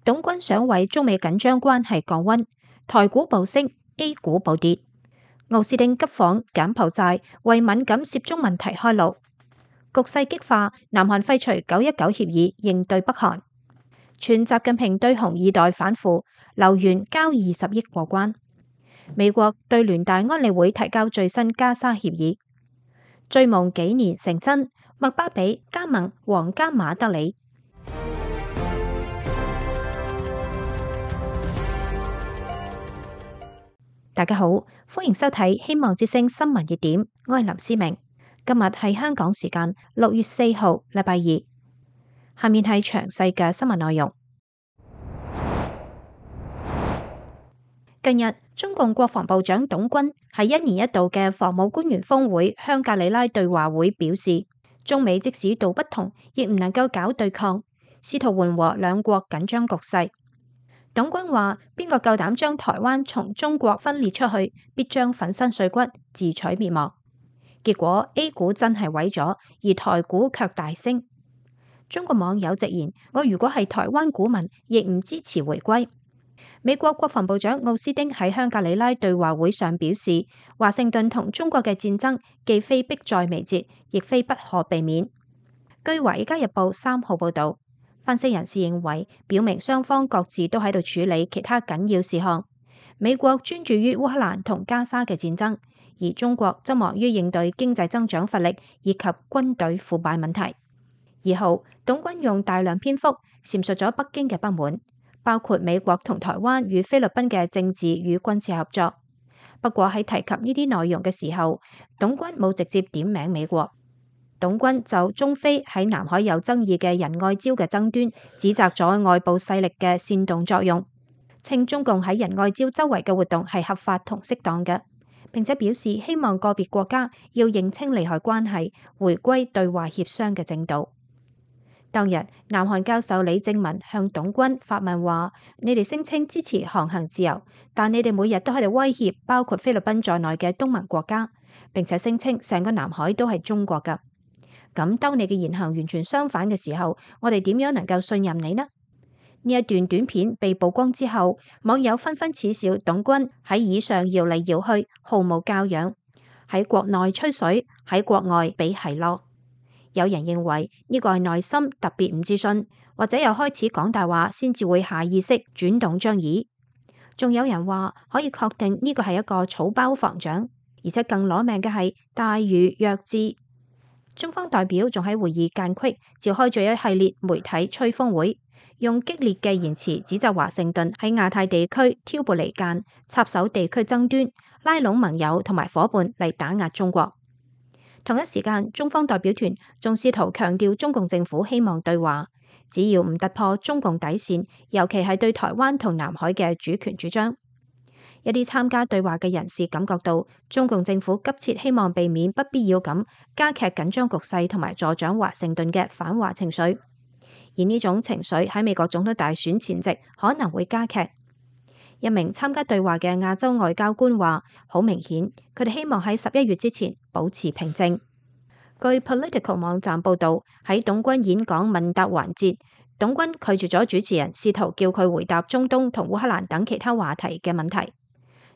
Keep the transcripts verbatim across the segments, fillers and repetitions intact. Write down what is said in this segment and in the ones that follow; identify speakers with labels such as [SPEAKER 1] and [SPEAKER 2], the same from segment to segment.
[SPEAKER 1] 董軍想為中美緊張關係降溫，台股暴升 ，A 股暴跌。奧斯汀急訪柬埔寨，為敏感涉中問題開路。局勢激化，南韓廢除九一九協議，應對北韓。傳習近平對紅二代反腐，留元交二十億過關。美國對聯大安理會提交最新加沙協議。追夢幾年成真，麥巴比加盟皇家馬德里。大家好，歡迎收睇《希望之聲》新聞熱點，我係林思明。今日係香港時間六月四號，禮拜二。下面係詳細嘅新聞內容。近日，中共國防部長董軍喺一年一度嘅防務官員峰會香格里拉對話會表示，中美即使道不同，亦唔能夠搞對抗，試圖緩和兩國緊張局勢。董軍話：邊個夠膽將台灣從中國分裂出去，必將粉身碎骨，自取滅亡。結果 A 股真係毀咗，而台股卻大升。中國網友直言：我如果係台灣股民，亦唔支持回歸。美國國防部長奧斯汀喺香格里拉對話會上表示，華盛頓同中國嘅戰爭既非迫在眉睫，亦非不可避免。據《華爾街日報》三號報道。分析人士認為，表明雙方各自都喺度處理其他緊要事項。美國專注於烏克蘭同加沙嘅戰爭，而中國則忙於應對經濟增長乏力以及軍隊腐敗問題。二號，董軍用大量篇幅闡述咗北京嘅不滿，包括美國同台灣與菲律賓嘅政治與軍事合作。不過喺提及呢啲內容嘅時候，董軍冇直接點名美國。董軍就中菲喺南海有爭議嘅仁愛礁嘅爭端，指責咗外部勢力嘅煽動作用，稱中共喺仁愛礁周圍嘅活動係合法同適當嘅，並且表示希望個別國家要認清利害關係，回歸對話協商嘅正道。當日，南韓教授李正文向董軍發問話：你哋聲稱支持航行自由，但你哋每日都喺度威脅包括菲律賓在內嘅東盟國家，並且聲稱成個南海都係中國㗎。咁當你嘅言行完全相反嘅時候，我哋點樣能夠信任你呢？呢一段短片被曝光之後，網友紛紛恥笑董軍喺椅上搖嚟搖去，毫無教養，喺國內吹水，喺國外比係囉。有人認為呢個係內心特別唔自信，或者又開始講大話先至會下意識轉動張椅。仲有人話可以確定呢個係一個草包防長，而且更攞命嘅係大魚弱智。中方代表仲喺會議間隙召開咗一系列媒體吹風會，用激烈嘅言辭指責華盛頓喺亞太地區挑撥離間、插手地區爭端、拉攏盟友同埋夥伴嚟打壓中國。同一時間，中方代表團仲試圖強調中共政府希望對話，只要唔突破中共底線，尤其係對台灣同南海嘅主權主張。一啲參加對話嘅人士感覺到，中共政府急切希望避免不必要咁加劇緊張局勢同埋助長華盛頓嘅反華情緒，而呢種情緒喺美國總統大選前夕可能會加劇。一名參加對話嘅亞洲外交官話：好明顯，佢哋希望喺十一月之前保持平靜。據 Political 網站報導，喺董軍演講問答環節，董軍拒絕咗主持人試圖叫佢回答中東同烏克蘭等其他話題嘅問題。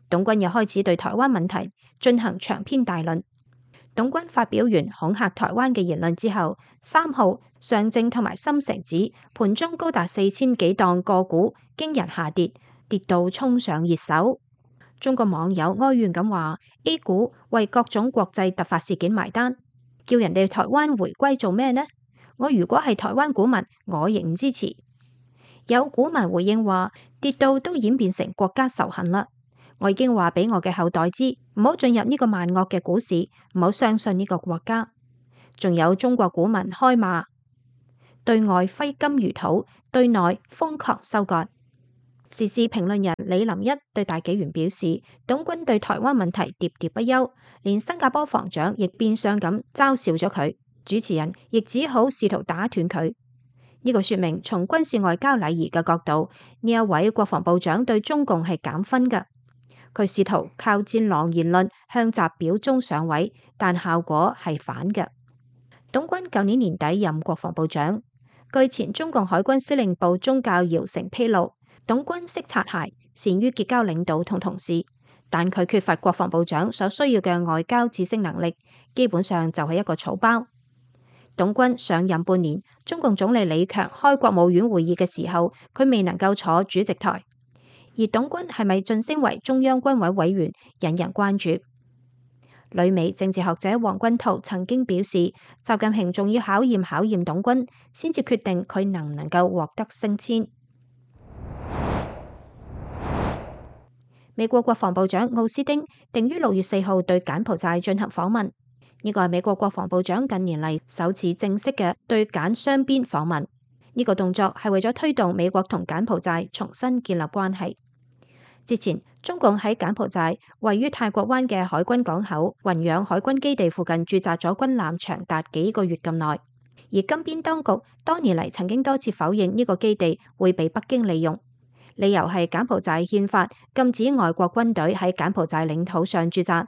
[SPEAKER 1] 董軍又開始對台灣問題進行長篇大論。董軍發表完恐嚇台灣嘅言論之後，三號上證同埋深成指盤中高達四千幾檔個股驚人下跌，跌到衝上熱搜。中國網友哀怨咁話 ：A 股為各種國際突發事件埋單，叫人哋台灣回歸做咩呢？我如果係台灣股民，我亦唔支持。有股民回應話：跌到都演變成國家仇恨啦。我已經話俾我嘅後代知，唔好進入呢個萬惡嘅股市，唔好相信呢個國家。仲有中國股民開罵，對外揮金如土，對內瘋狂收割。時事評論人李林一對大紀元表示，董軍對台灣問題喋喋不休，連新加坡防長亦變相咁嘲笑咗佢，主持人亦只好試圖打斷佢。呢個說明從軍事外交禮儀嘅角度，呢一位國防部長對中共係減分㗎。佢試圖靠戰狼言論向習表忠上位，但效果係反嘅。董軍舊年年底任國防部長，據前中共海軍司令部中校姚成披露，董軍識擦鞋，善於結交領導同同事，但佢缺乏國防部長所需要嘅外交知識能力，基本上就係一個草包。董軍上任半年，中共總理李強開國務院會議嘅時候，佢未能夠坐主席台，而董軍係咪晉升為中央軍委委員，引人關注。旅美政治學者黃君濤曾經表示，習近平仲要考驗考驗董軍，先至決定佢能唔能夠獲得升遷。美國國防部長奧斯汀定於六月四號對柬埔寨進行訪問，呢個係美國國防部長近年嚟首次正式嘅對柬雙邊訪問。呢個動作係為咗推動美國同柬埔寨重新建立關係。之前，中共喺柬埔寨位於泰國灣嘅海軍港口雲養海軍基地附近駐紮咗軍艦長達幾個月咁耐，而金邊當局多年嚟曾經多次否認呢個基地會被北京利用，理由係柬埔寨憲法禁止外國軍隊喺柬埔寨領土上駐紮。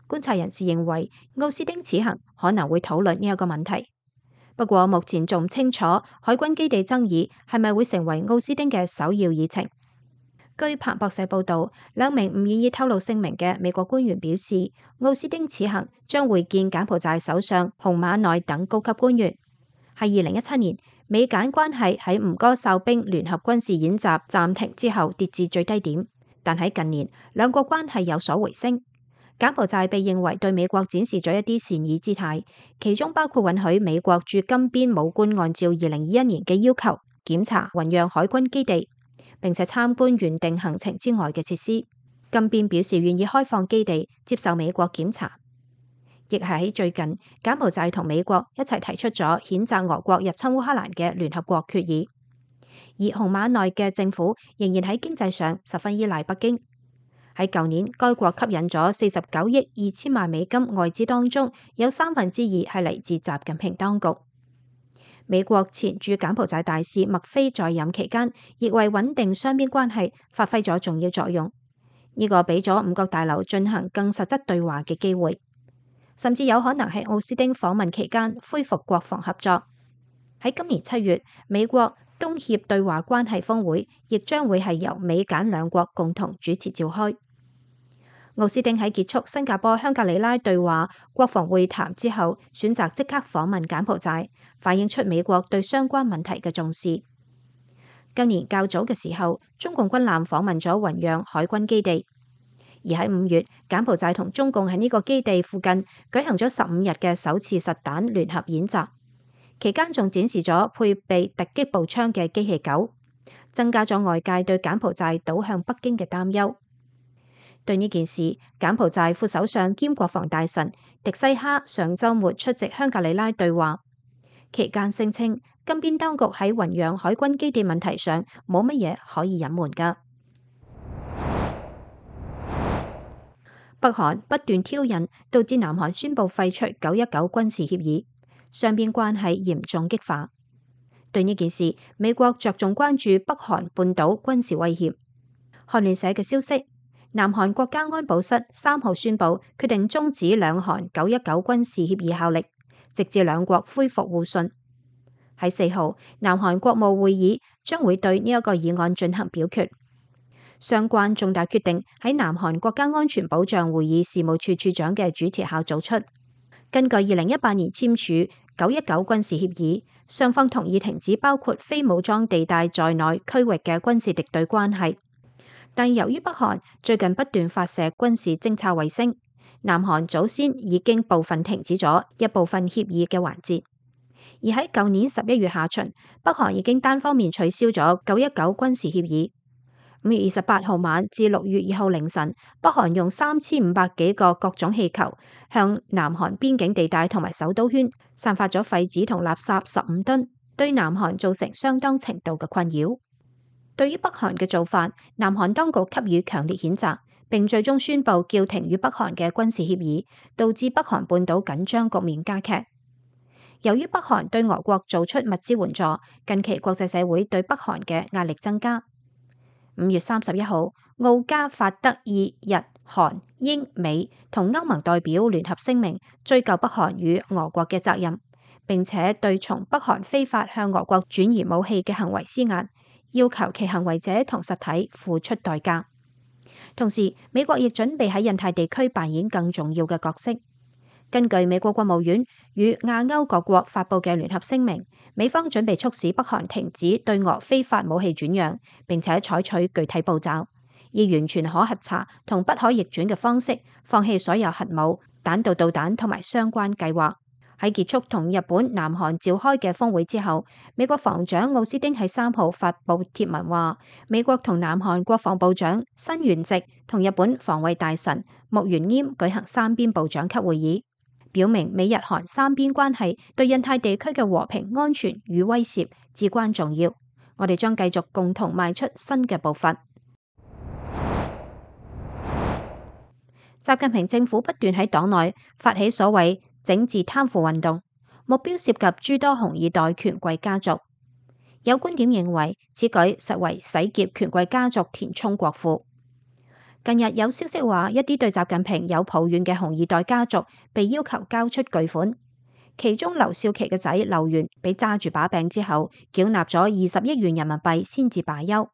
[SPEAKER 1] 觀察人士認為，奧斯汀此行可能會討論呢一個問題。不過目前仲唔清楚海軍基地爭議係咪會成為奧斯汀嘅首要議程。據彭博社報導，兩名唔願意透露姓名嘅美國官員表示，奧斯汀此行將會見柬埔寨首相洪馬內等高級官員。喺二零一七年，美柬關係喺吳哥哨兵聯合軍事演習暫停之後跌至最低點，但喺近年兩國關係有所回升。柬埔寨被認為對美國展示咗一啲善意姿態，其中包括允許美國駐金邊武官按照二零二一年嘅要求檢查雲養海軍基地，並且參觀原定行程之外嘅設施。金邊表示願意開放基地接受美國檢查，亦係喺最近，柬埔寨同美國一齊提出咗譴責俄國入侵烏克蘭嘅聯合國決議。而洪馬內嘅政府仍然喺經濟上十分依賴北京。喺舊年，該國吸引咗四十九億二千萬美金外資，當中有三分之二係嚟自習近平當局。美國前駐柬埔寨大使麥菲在任期間，亦為穩定雙邊關係發揮咗重要作用。呢個俾咗五角大樓進行更實質對話嘅機會，甚至有可能喺奧斯汀訪問期間恢復國防合作。喺今年七月，美國東協對華關係峰會亦將會係由美柬兩國共同主持召開。奧斯汀喺結束新加坡香格里拉對話國防會談之後，選擇即刻訪問柬埔寨，反映出美國對相關問題嘅重視。今年較早嘅時候，中共軍艦訪問咗雲養海軍基地，而喺五月，柬埔寨同中共喺呢個基地附近舉行咗十五日嘅首次實彈聯合演習，期間仲展示咗配備突擊步槍嘅機器狗，增加咗外界對柬埔寨倒向北京嘅擔憂。對呢件事，柬埔寨副首相兼國防大臣迪西哈上週末出席香格里拉對話，期間聲稱金邊當局喺雲養海軍基地問題上冇乜嘢可以隱瞞㗎。北韓不斷挑釁，導致南韓宣布廢除九一九軍事協議，雙邊關係嚴重激化。對呢件事，美國着重關注北韓半島軍事威脅。韓聯社嘅消息，南韓國家安保室三號宣布決定終止兩韓九一九軍事協議效力，直至兩國恢復互信。喺四號，南韓國務會議將會對呢一個議案進行表決。相關重大決定喺南韓國家安全保障會議事務處處長嘅主持下做出。根據二零一八年簽署九一九軍事協議，雙方同意停止包括非武裝地帶在內區域嘅軍事敵對關係。但由於北韓最近不斷發射軍事偵察衛星，南韓早先已經部分停止咗一部分協議嘅環節。而喺舊年十一月下旬，北韓已經單方面取消咗九一九軍事協議。五月二十八號晚至六月二號凌晨，北韓用三千五百幾個各種氣球向南韓邊境地帶同埋首都圈散發咗廢紙同垃圾十五噸，對南韓造成相當程度嘅困擾。對於北韓嘅做法，南韓當局給予強烈譴責，並最終宣布叫停與北韓嘅軍事協議，導致北韓半島緊張局面加劇。由於北韓對俄國做出物資援助，近期國際社會對北韓嘅壓力增加。五月三十一號，澳加法德意日韓英美同歐盟代表聯合聲明，追究北韓與俄國嘅責任，並且對從北韓非法向俄國轉移武器嘅行為施壓，要求其行為者同實體付出代價。同時，美國亦準備喺印太地區扮演更重要嘅角色。根據美國國務院與亞歐各國發布嘅聯合聲明，美方準備促使北韓停止對俄非法武器轉讓，並且採取具體步驟，以完全可核查同不可逆轉嘅方式，放棄所有核武、彈道導彈同埋相關計劃。喺結束同日本、南韓召開嘅峰會之後，美國防長奧斯汀喺三號發布貼文話，美國同南韓國防部長新元直同日本防衛大臣木原稔舉行三邊部長級會議，表明美日韓三邊關係對印太地區嘅和平安全與威懾至關重要。我哋將繼續共同邁出新嘅步伐。習近平政府不斷喺黨內發起所謂整治貪腐運動，目標涉及諸多紅二代權貴家族。有觀點認為，此舉實為洗劫權貴家族填充國庫。近日有消息話，一啲對習近平有抱怨嘅紅二代家族被要求交出巨款，其中劉少奇嘅仔劉源被揸住把柄之後，繳納咗二十億元人民幣先至罷休。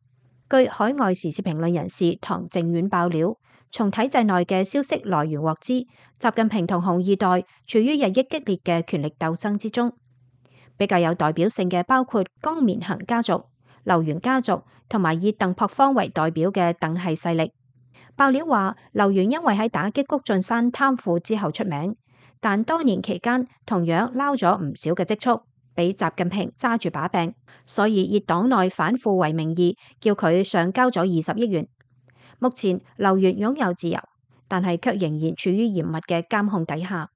[SPEAKER 1] 據海外時事評論人士唐靖遠爆料，從體制內嘅消息來源獲知，習近平同紅二代處於日益激烈嘅權力鬥爭之中。比較有代表性嘅包括江綿恒家族、劉源家族同埋以鄧樸方為代表嘅鄧系勢力。爆料話，劉源因為喺打擊谷俊山貪腐之後出名，但多年期間同樣撈咗唔少嘅積蓄，俾習近平揸住把柄，所以以黨內反腐為名義，叫佢上交咗二十億元。目前劉源擁有自由，但係卻仍然處於嚴密嘅監控底下。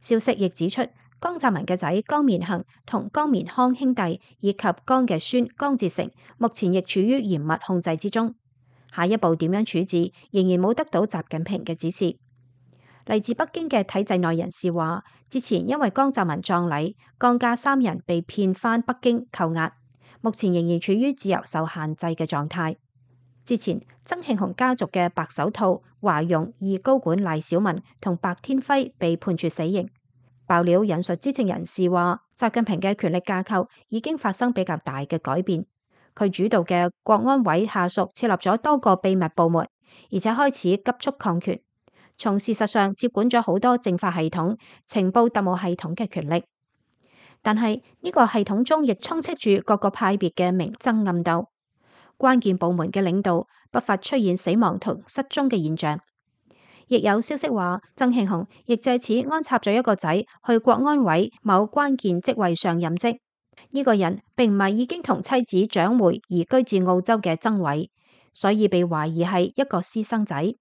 [SPEAKER 1] 消息亦指出，江澤民嘅仔江綿恒同江綿康兄弟以及江嘅孫江志成，目前亦處於嚴密控制之中。下一步點樣處置，仍然冇得到習近平嘅指示。嚟自北京嘅體制內人士話，之前因為江澤民葬禮，江家三人被騙返北京扣押，目前仍然處於自由受限制嘅狀態。之前曾慶紅家族嘅白手套、華容二高管賴小民同白天輝被判處死刑。爆料引述知情人士話，習近平嘅權力架構已經發生比較大嘅改變。佢主導嘅國安委下屬設立咗多個秘密部門，而且開始急速擴權，從事實上接管咗好多政法系統、情報特務系統嘅權力。但係呢個系統中亦充斥住各個派別嘅明爭暗鬥，關鍵部門嘅領導不乏出現死亡同失蹤嘅現象。亦有消息話，曾慶紅亦借此安插咗一個仔去國安委某關鍵職位上任職。呢個人並唔係已經同妻子蔣梅移居至澳洲嘅曾偉，所以被懷疑係一個私生仔。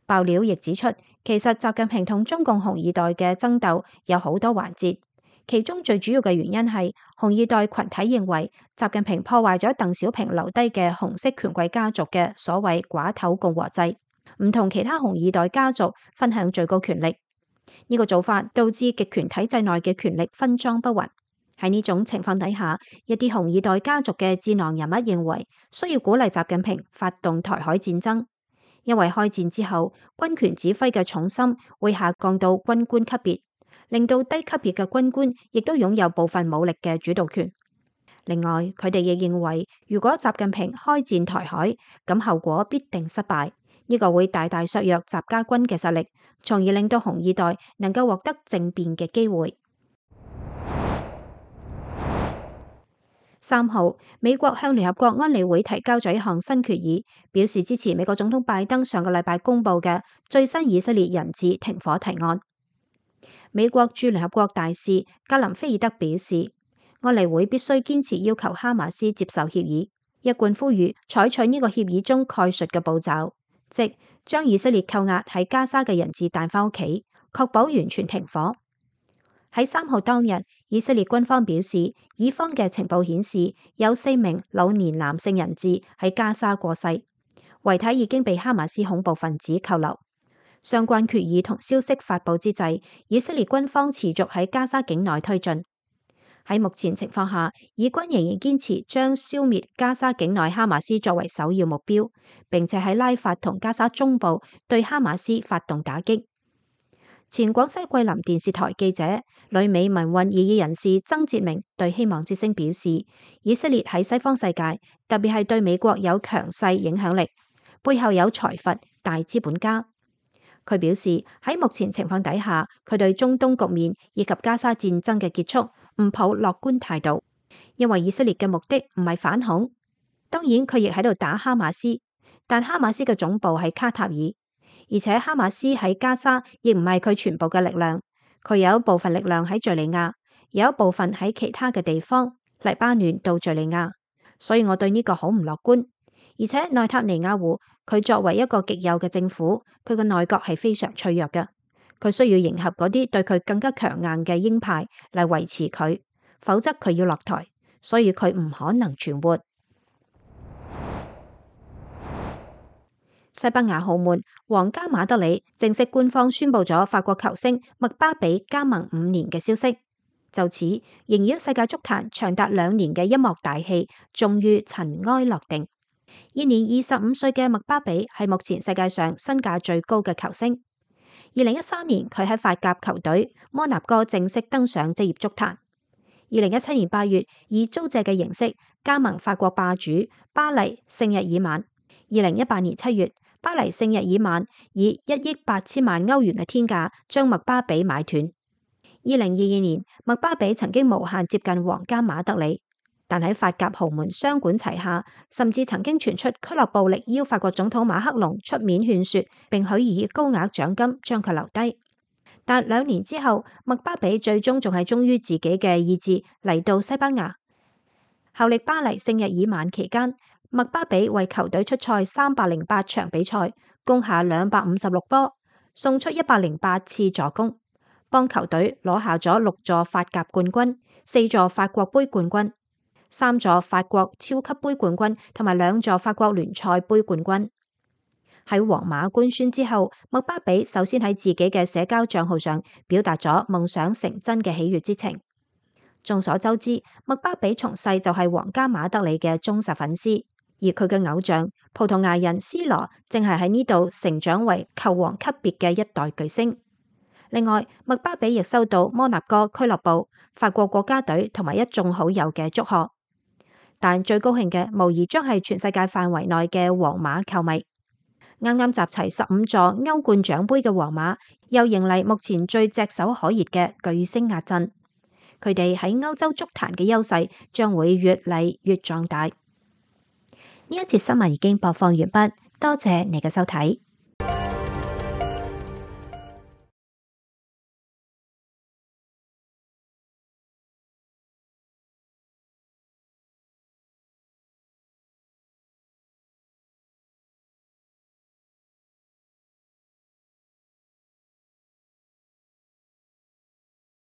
[SPEAKER 1] 爆料亦指出，其實習近平同中共紅二代嘅爭鬥有好多環節，其中最主要嘅原因係紅二代群體認為習近平破壞咗鄧小平留低嘅紅色權貴家族嘅所謂寡頭共和制，唔同其他紅二代家族分享最高權力。呢個做法導致極權體制內嘅權力分贓不勻。喺呢種情況底下，一啲紅二代家族嘅智囊人物認為需要鼓勵習近平發動台海戰爭，因為開戰之後軍權指揮嘅重心會下降到軍官級別，令到低級別嘅軍官亦都擁有部分武力嘅主導權。另外，佢哋亦認為如果習近平開戰台海，咁後果必定失敗，呢個會大大削弱習家軍嘅實力，從而令到紅二代能夠獲得政變嘅機會。三號，美國向聯合國安理會提交咗一項新決議，表示支持美國總統拜登上個禮拜公布嘅最新以色列人質停火提案。美國駐聯合國大使格林菲爾德表示，安理會必須堅持要求哈馬斯接受協議，一貫呼籲採取呢個協議中概述嘅步驟，即將以色列扣押喺加沙嘅人質帶返屋企，確保完全停火。喺三號當日，以色列軍方表示，以方嘅情報顯示有四名老年男性人質喺加沙過世，遺體已經被哈馬斯恐怖分子扣留。相關決議同消息發佈之際，以色列軍方持續喺加沙境內推進。喺目前情況下，以軍仍然堅持將消滅加沙境內哈馬斯作為首要目標，並且喺拉法同加沙中部對哈馬斯發動打擊。前廣西桂林電視台記者、旅美民運異議人士曾哲明對希望之聲表示，以色列喺西方世界，特別係對美國有強勢影響力，背後有財閥大資本家。佢表示喺目前情況底下，佢對中東局面以及加沙戰爭嘅結束唔抱樂觀態度，因為以色列嘅目的唔係反恐。當然佢亦喺度打哈馬斯，但哈馬斯嘅總部喺卡塔爾。而且哈馬斯喺加沙亦唔係佢全部嘅力量，佢有一部分力量喺敘利亞，有一部分喺其他嘅地方，黎巴嫩到敘利亞。所以我對呢個好唔樂觀。而且內塔尼亞胡佢作為一個極右嘅政府，佢嘅內閣係非常脆弱嘅，佢需要迎合嗰啲對佢更加強硬嘅鷹派嚟維持佢，否則佢要落台，所以佢唔可能存活。西班牙豪門皇家馬德里正式官方宣布咗法國球星麥巴比加盟五年嘅消息，就此縈繞世界足壇長達兩年嘅一幕大戲終於塵埃落定。現年二十五歲嘅麥巴比係目前世界上身價最高嘅球星。二零一三年佢喺法甲球隊摩納哥正式登上職業足壇。二零一七年八月以租借嘅形式加盟法國霸主巴黎聖日耳曼。二零一八年七月，巴黎聖日耳曼以一億八千萬歐元嘅天價將麥巴比買斷。二零二二年，麥巴比曾經無限接近皇家馬德里，但喺法甲豪門雙管齊下，甚至曾經傳出俱樂部力邀法國總統馬克龍出面勸說，並許以高額獎金將佢留低。但兩年之後，麥巴比最終仲係忠於自己嘅意志嚟到西班牙。效力巴黎聖日耳曼期間，麥巴比為球隊出賽三百零八場比賽，攻下兩百五十六波，送出一百零八次助攻，幫球隊攞下咗六座法甲冠軍、四座法國杯冠軍、三座法國超級杯冠軍同埋兩座法國聯賽杯冠軍。喺皇馬官宣之後，麥巴比首先喺自己嘅社交賬號上表達咗夢想成真嘅喜悅之情。眾所周知，麥巴比從細就係皇家馬德里嘅忠實粉絲。而佢嘅偶像葡萄牙人 C 羅正係喺呢度成長為球王級別嘅一代巨星。另外，麥巴比亦收到摩納哥俱樂部、法國國家隊同埋一眾好友嘅祝賀。但最高興嘅無疑將係全世界範圍內嘅皇馬球迷。啱啱集齊十五座歐冠獎盃嘅皇馬，又迎嚟目前最炙手可熱嘅巨星壓陣。佢哋喺歐洲足壇嘅優勢將會越嚟越壯大。呢一節新聞已經播放完畢，多謝你嘅收睇。